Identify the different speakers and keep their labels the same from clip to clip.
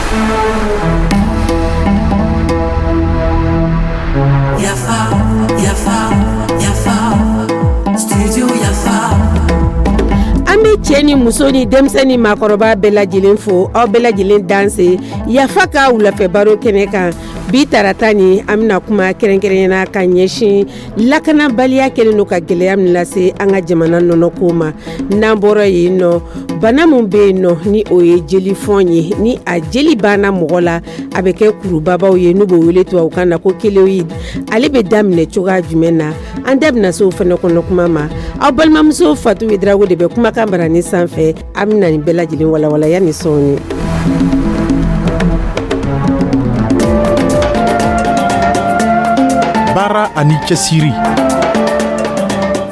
Speaker 1: Yafa, yafa, yafa, studio Yafa.
Speaker 2: An bɛ cɛ ni muso ni denmisɛn ni maakɔrɔba bɛɛ lajɛlen fo, aw bɛɛ lajɛlen danse Yafa ka wulafɛ baro kɛnɛ kan. Bi tarata ni, an bɛna kuma kɛrɛnkɛrɛnyana ka ɲɛsin lakanabaliya kɛlen don ka gɛlɛya min lase an ka jamana nɔnɔko ma. N'an bɔra yen nɔ, bana min bɛ yen nɔ, ni o ye jelifɔn ye, ni a jeli banna mɔgɔ la, a bɛ kɛ kurubabaw ye, n'u b'o wele tubabukan na ko kéloïde, ale bɛ daminɛ cogoya jumɛn na? An da bɛna se o fana kɔnɔ kuma ma. Aw balimamuso Fatu Ouédraogo de bɛ kumakan barani sanfɛ. An bɛna nin bɛɛ lajɛlen walawala yanni sɔɔni.
Speaker 3: Baara ani cɛsiri.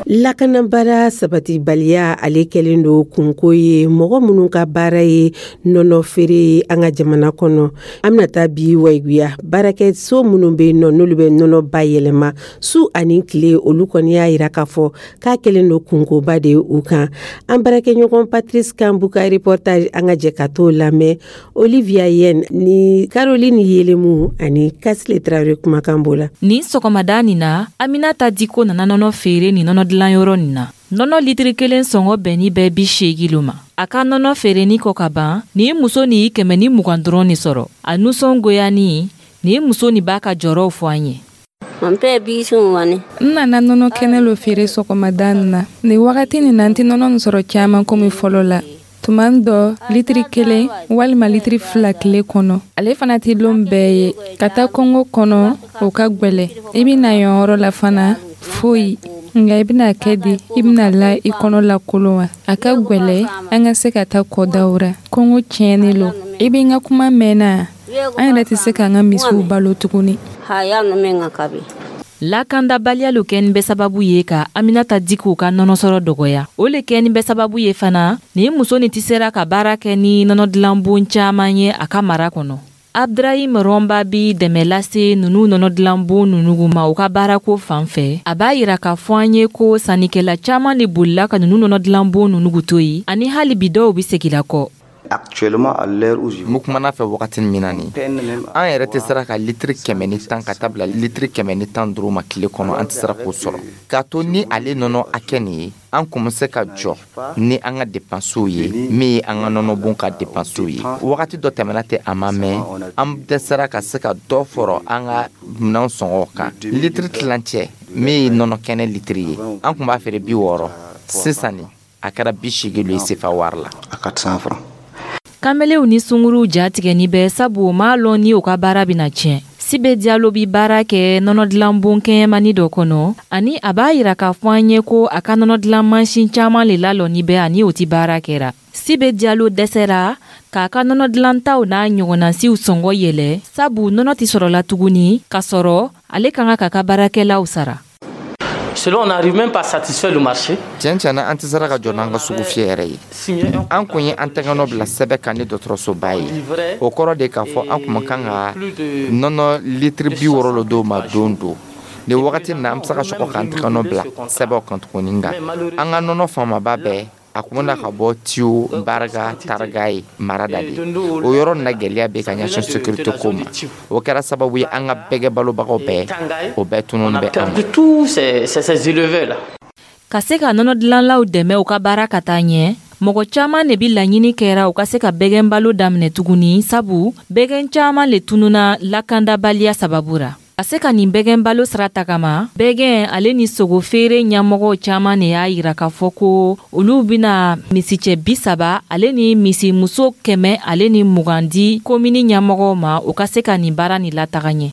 Speaker 2: Lakanabara sabatibaliya, ale kɛlen don kunko ye mɔgɔ minnu ka baara ye nɔnɔ feere ye an ka jamana kɔnɔ. An bɛna taa bi Wayiguya, baarakɛso minnu bɛ yen nɔ, n'olu bɛ nɔnɔ bayɛlɛma su ani tile, olu kɔni y'a yira k'a fɔ k'a kɛlen don kunkoba de ye u kan. An baarakɛɲɔgɔn Patrice Kambu ka reportage, an ka jɛ ka t'o lamɛn. Olivia Yen ni Caroline Yelemu ani Kasile Traoré kumakan b'o la.
Speaker 4: Nin sɔgɔmada nin na, Aminata Diko nana nɔnɔ feere nin nɔnɔ dilanyɔrɔ nin na. Nɔnɔ litiri kelen sɔngɔ bɛnni bɛ 80 lo ma. A ka nɔnɔ feereni kɔ ka ban, nin muso nin ye 120 dɔrɔn de sɔrɔ. A nusɔngoyani, nin muso nin b'a ka jɔrɔw fɔ an ye.
Speaker 5: N nana nɔnɔ kɛnɛ lo feere sɔgɔmada nin na. Nin wagati nin na, n tɛ nɔnɔ nin sɔrɔ caman komi fɔlɔ la. Tuma dɔ, litiri 1 walima litiri 2 tile kɔnɔ. Ale fana tɛ lon bɛɛ ye. Ka taa kungo kɔnɔ, o ka gwɛlɛ. I bɛ na yan yɔrɔ la fana, foyi. Nka i bɛna kɛ di? I bɛna la i kɔnɔ lakolon wa? A ka gwɛlɛ an ka se ka taa kɔdaw ra. Kɔngɔ tiɲɛni lo. I bɛ n ka kuma mɛn na? An yɛrɛ tɛ se k'an ka misiw balo tuguni.
Speaker 4: Lakandabaliya lo kɛni bɛ sababu ye ka Aminata Diko ka nɔnɔsɔrɔ dɔgɔya. O le kɛni bɛ sababu ye fana nin muso nin tɛ sera ka baara kɛ ni nɔnɔ dilanbon caman ye a ka mara kɔnɔ. Abdrahim Rɔnba bi dɛmɛ lase nunu nɔnɔ dilanbon nunu ma u ka baarako fan fɛ. A b'a yira k'a fɔ an ye ko sannikɛla caman de bolila ka nunu nɔnɔ dilanbon nunu to yen, ani hali bi dɔw bi segin kɔ.
Speaker 6: Actuellement, à l'heure où je
Speaker 7: N kumana fɛ wagati min na nin, an yɛrɛ tɛ sera ka litiri 110 ka taa bila litiri 115 ma tile kɔnɔ. An tɛ sera k'o sɔrɔ k'a to ni ale nɔnɔ hakɛ nin ye, an kun bɛ se ka jɔ ni an ka depansiw ye, min ye an ka nɔnɔbon ka depansiw ye. Wagati dɔ tɛmɛna tɛ, a ma mɛn, an dɛsɛra ka se ka dɔ fɔrɔ an ka minɛn sɔngɔ kan. Litiri tilancɛ min ye nɔnɔ kɛnɛ litiri ye, an kun b'a feere 60, sisan nin a kɛra 80 ye sefa wari la.
Speaker 6: À 400 francs.
Speaker 4: Kamelew ni sunguruw jatigɛni bɛ, sabu o m'a lɔn ni u ka baara bɛna tiɲɛ. Sibe Diallo bi baara kɛ nɔnɔ dilanbon kɛɲɛmani dɔ kɔnɔ, ani a b'a yira k'a fɔ an ye ko a ka nɔnɔ dilan mansin caman le lalɔni bɛ ani o ti baara kɛra. Sibe Diallo dɛsɛra k'a ka nɔnɔ dilantaw n'a ɲɔgɔnnasiw sɔngɔ yɛlɛ, sabu nɔnɔ tɛ sɔrɔla tuguni k'a sɔrɔ ale ka kan k'a ka baarakɛlaw sara.
Speaker 8: Selon, on n'arrive même pas à satisfaire le marché.
Speaker 7: Tiɲɛ tiɲɛ na, an tɛ sera ka jɔ n'an ka sugu fiyɛ yɛrɛ ye. An kun ye an tɛgɛnɔ bila sɛbɛn kan ni dɔgɔtɔrɔsoba ye. O kɔrɔ de k'a fɔ an kun kan ka nɔnɔ litiri 60 lo d'o ma don don. Nin wagati nin na, an bɛ se ka sɔgɔ k'an tɛgɛnɔ bila sɛbɛnw kan tuguni, nka an ka nɔnɔ faamaba bɛɛ, a kun bɛna ka bɔ Tiyo, Barga, Taraga ye mara da de. O yɔrɔ nin na, gɛlɛya bɛ ka ɲɛsin sécurité ko ma. O kɛra sababu ye, an ka bɛgɛ balobagaw bɛɛ, o bɛɛ tunun bɛ an ma.
Speaker 8: Tous ces éleveurs là.
Speaker 4: Ka se ka nɔnɔ dilanlaw dɛmɛ u ka baara ka taa ɲɛ, mɔgɔ caman de bi laɲini kɛra u ka se ka bɛgɛn balo daminɛ tuguni, sabu bɛgɛn caman le tununa lakandabaliya sababu ra. Ka se ka nin bɛgɛn balo sira tagama, bɛgɛn ale ni sogo feere ɲɛmɔgɔw caman de y'a yira k'a fɔ ko olu bena misicɛ 30 ale ni misimuso 120 di komini ɲɛmɔgɔw ma, u ka se ka nin baara nin lataga ɲɛ.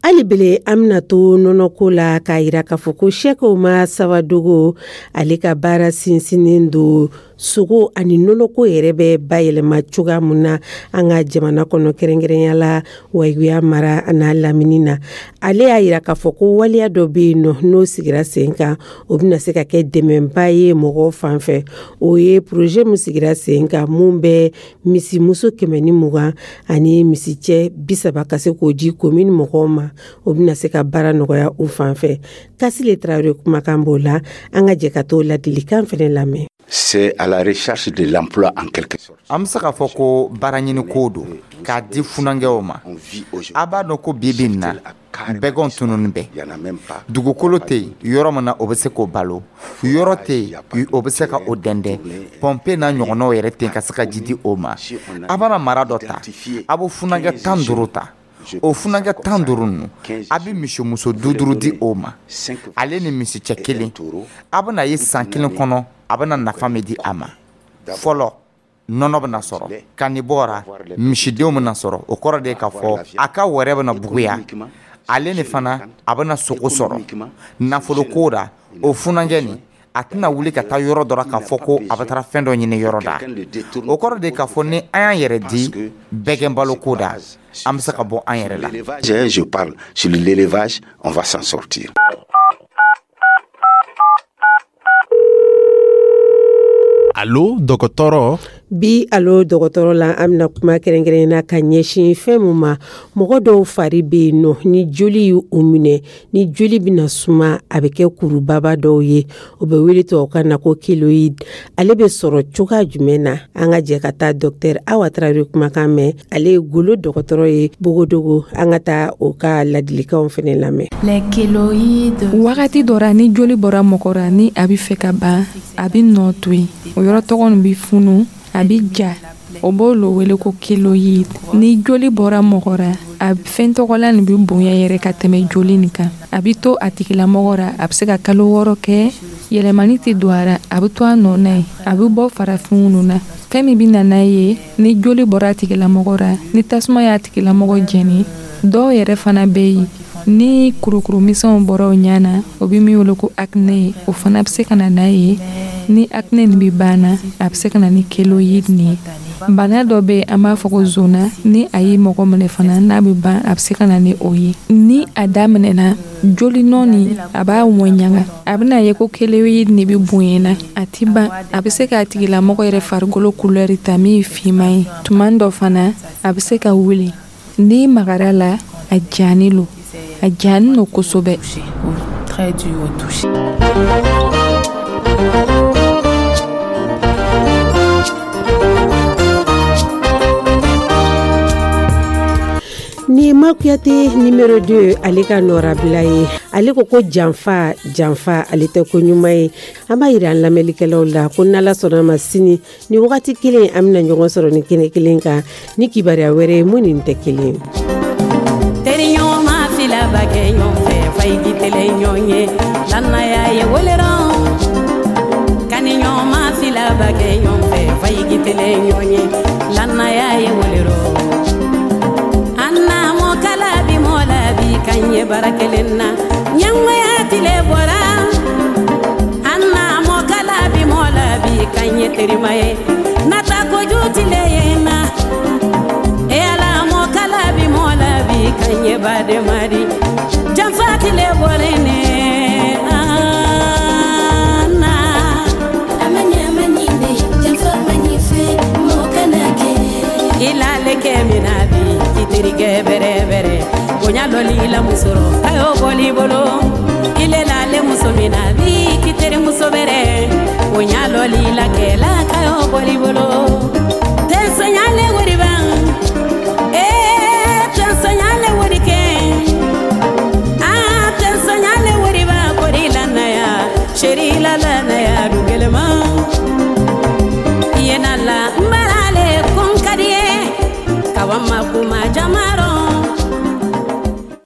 Speaker 2: Hali bele, an bɛna to nɔnɔko la k'a yira k'a fɔ ko Sɛki Umar Sawadogo, ale ka baara sinsinnen don sogo ani nɔnɔko yɛrɛ bɛ bayɛlɛma cogoya mun na an ka jamana kɔnɔ, kɛrɛnkɛrɛnya la Wayiguya mara n'a lamini na. Ale y'a yira k'a fɔ ko waleya dɔ bɛ yen nɔ, n'o sigira sen kan, o bɛna se ka kɛ dɛmɛba ye mɔgɔw fan fɛ. O ye projet min sigira sen kan, mun bɛ misimuso 120 ani misicɛ 30 ka se k'o di komini mɔgɔw ma, o bɛna se ka baara nɔgɔya u fan fɛ. Kasile Tarawele kumakan b'o la. An ka jɛ ka t'o ladilikan fɛnɛ lamɛn.
Speaker 6: C'est à la recherche de l'emploi en quelque sorte.
Speaker 7: An bɛ se k'a fɔ ko baaraɲiniko don k'a di funankɛw ma. A b'a dɔn ko bi bi in na, bɛgɛnw tununnen bɛ. Dugukolo tɛ yen yɔrɔ min na o bɛ se k'o balo, yɔrɔ tɛ yen o bɛ se ka o dɛndɛn, pɔnpe n'a ɲɔgɔnnaw yɛrɛ tɛ yen ka se ka ji di o ma. A bɛna mara dɔ ta, a bɛ funankɛ 15 ta. O funankɛ 15 ninnu, a bɛ misimuso 5 5 di o ma, ale ni misicɛ kelen. A bɛna ye san kelen kɔnɔ a bɛna nafa min di a ma. Fɔlɔ, nɔnɔ bɛna sɔrɔ ka nin bɔra, misidenw bɛna sɔrɔ. O kɔrɔ de ye k'a fɔ a ka wɛrɛ bɛna buguya, ale ni fana a bɛna sogo sɔrɔ. Nafoloko la, o funankɛ nin, a tɛna wuli ka taa yɔrɔ dɔ la k'a fɔ ko a bɛ taara fɛn dɔ ɲini yɔrɔ da. O kɔrɔ de k'a fɔ ni an y'an yɛrɛ di bɛgɛn baloko da, an bɛ se ka bɔ an yɛrɛ la.
Speaker 6: Je parle sur l'élevage, on va s'en sortir.
Speaker 3: Alo dɔgɔtɔrɔ.
Speaker 2: Bi alo dɔgɔtɔrɔ la, an bɛna kuma kɛrɛnkɛrɛn na ka ɲɛsin fɛn min ma. Mɔgɔ dɔw fari bɛ yen nɔ, ni joli y'u minɛ, ni joli bɛna suma, a bɛ kɛ kurubaba dɔw ye, o bɛ wele tubabukan na ko kéloïde. Ale bɛ sɔrɔ cogoya jumɛn na? An ka jɛ ka taa docteur Awa Tarawele kumakan mɛn. Ale ye golo dɔgɔtɔrɔ ye Bogodogo. An ka taa o ka ladilikanw fana lamɛn.
Speaker 5: Wagati dɔ ra, ni joli bɔra mɔgɔ ra, ni a bɛ fɛ ka ban, a bɛ nɔ to yen, o yɔrɔ tɔgɔ nin bɛ funu, a bɛ ja, o b'o lo wele ko kéloïde. Ni joli bɔra mɔgɔ ra, a fɛn tɔgɔla nin bɛ bonya yɛrɛ ka tɛmɛ joli nin kan. A bɛ to a tigilamɔgɔ ra, a bɛ se ka kalo 6 kɛ, yɛlɛmani tɛ don a ra, a bɛ to a nɔ na yen, a bɛ bɔ farafinw ninnu na. Fɛn min bɛ na n'a ye, ni joli bɔra a tigilamɔgɔ ra, ni tasuma y'a tigilamɔgɔ jɛni. Dɔw yɛrɛ fana bɛ yen, ni kurukuru misɛnw bɔra o ɲɛ na, o bɛ min wele ko acné ye, o fana bɛ se ka na n'a ye. Ni acné nin bɛ ban na, a bɛ se ka na ni kéloïde nin ye. Bana dɔ bɛ yen, an b'a fɔ ko zona, ni a ye mɔgɔ minɛ fana, n'a bɛ ban, a bɛ se ka na ni o ye. Ni a daminɛna, joli nɔ nin, a b'a ŋɔɲaga, a bɛna ye ko kéloïde nin bɛ bonya na, a ti ban. A bɛ se k'a tigilamɔgɔ yɛrɛ farikolo couleur ta min ye finman ye. Tuma dɔ fana, a bɛ se ka wuli. N'i magara la, a jaani lo, a jaani lo kosɛbɛ.
Speaker 1: Très dur au toucher.
Speaker 2: Ni Makuyate numéro 2, ale ka nɔrabila ye. Ale ko ko janfa janfa, ale tɛ ko ɲuman ye. An b'a yira an lamɛnlikɛlaw la ko n'Ala sɔnna ma, sini ni wagati kelen, an bɛna ɲɔgɔn sɔrɔ ni kɛnɛ kelen kan ni kibaruya wɛrɛ ye mun nin tɛ kelen.
Speaker 1: Teriɲɔgɔnma fila ba kɛ ɲɔgɔn fɛ, fayigi tɛlɛ ɲɔgɔn ye, lannaya ye wolera. Kaniɲɔgɔnma fila ba kɛ ɲɔgɔn fɛ, fayigi tɛlɛ ɲɔgɔn ye, lannaya ye wolera. Kan ye bara kelen na, ɲɛngoya tile bɔra. An na mɔkala bi mɔ la bi kan ye terima ye, nata kojugu tile ye na. E Ala, mɔkala bi mɔ la bi kan ye badenma di, janfa tile bɔlen ne an na.
Speaker 9: A ma ɲɛ ma ɲi janfa ma ɲi fɛ, mɔgɔ kana kɛ.
Speaker 1: I lale kɛ min na bi, k'i terikɛ bɛrɛ bɛrɛ, bonya lɔli la musɔrɔ a y'o bɔli bolo. Ile lale muso min na bi, k'i terimuso bɛrɛ, bonya lɔli la kɛla ka y'o bɔli bolo. Tɛnsɛnyale wari ban, ee tɛnsɛnyale wari kɛ, aa tɛnsɛnyale wari ban, kori la naya, seri la la naya dugɛlɛma. I ye na la n barale kun ka di ye, kawa ma kuma jamaro.